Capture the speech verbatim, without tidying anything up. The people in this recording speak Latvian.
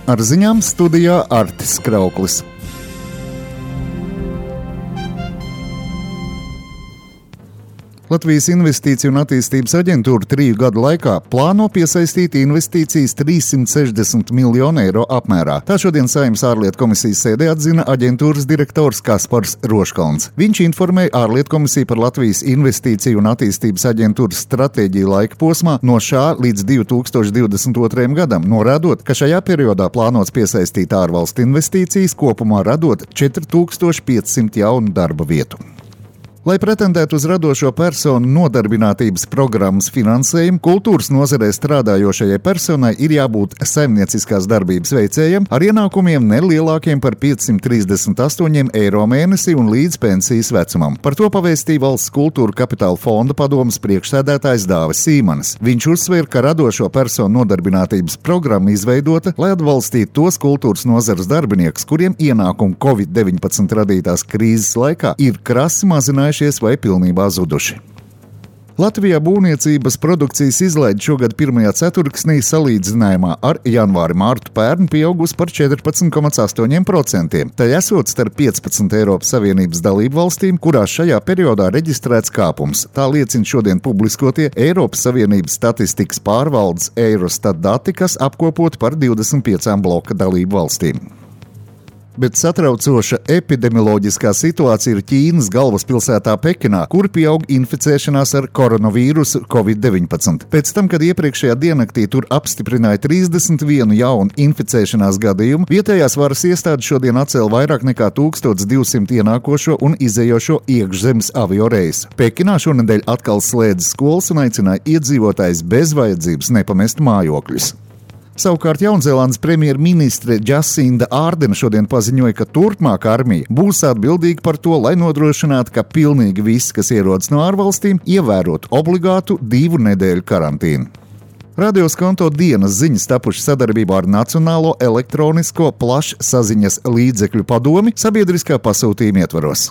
Ar ziņām studijā Artis Krauklis. Latvijas Investīciju un attīstības aģentūra triju gadu laikā plāno piesaistīt investīcijas trīssimt sešdesmit miljonu eiro apmērā. Tā šodien Saeimas ārlietu komisijas sēdē atzina aģentūras direktors Kaspars Roškalns. Viņš informēja ārlietu komisiju par Latvijas Investīciju un attīstības aģentūras stratēģiju laika posmā no šā līdz divi tūkstoši divdesmit otrajam gadam, norādot, ka šajā periodā plānots piesaistīt ārvalstu investīcijas, kopumā radot četri tūkstoši piecsimt jaunu darba vietu. Lai pretendētu uz radošo personu nodarbinātības programmas finansējumu, kultūras nozarē strādājošajai personai ir jābūt saimnieciskās darbības veicējam ar ienākumiem nelielākiem par piecsimt trīsdesmit astoņiem eiro mēnesī un līdz pensijas vecumam. Par to pavēstīja Valsts kultūra kapitāla fonda padomes priekšsēdētājs Dāvis Sīmanis. Viņš uzsver, ka radošo personu nodarbinātības programma izveidota, lai atbalstītu tos kultūras nozares darbiniekus, kuriem ienākumu covid deviņpadsmit radītās krīzes laikā ir krasi mazinājuši vai pilnībā zuduši. Latvijā būvniecības produkcijas izlaide šogad pirmajā ceturksnī salīdzinājumā ar janvāri-mārtu pērn pieaugusi par četrpadsmit komats astoņi procenti. Tā esot starp piecpadsmit Eiropas Savienības dalību valstīm, kurās šajā periodā reģistrēts kāpums. Tā liecina šodien publiskotie Eiropas Savienības statistikas pārvaldes Eirostat dati, kas apkopoti par divdesmit piecām bloka dalību valstīm. Bet satraucoša epidemioloģiskā situācija ir Ķīnas galvaspilsētā Pekinā, kur pieaug inficēšanās ar koronavīrusu covid deviņpadsmit. Pēc tam, kad iepriekšējā diennaktī tur apstiprināja trīsdesmit vienu jaunu inficēšanās gadījumu, vietējās varas iestādes šodien atcēla vairāk nekā tūkstoš divsimt ienākošo un izējošo iekšzemes avio reisu. Pekinā šonedēļ atkal slēdz skolas un aicināja iedzīvotājus bez vajadzības nepamest mājokļus. Savukārt Jaunzēlandes premjerministre Džasinda Ārdena šodien paziņoja, ka turpmāk armija būs atbildīga par to, lai nodrošinātu, ka pilnīgi visi, kas ierodas no ārvalstīm, ievērot obligātu divu nedēļu karantīnu. Radio Skonto dienas ziņas tapušas sadarbībā ar Nacionālo elektronisko plašsaziņas līdzekļu padomi sabiedriskā pasūtījuma ietvaros.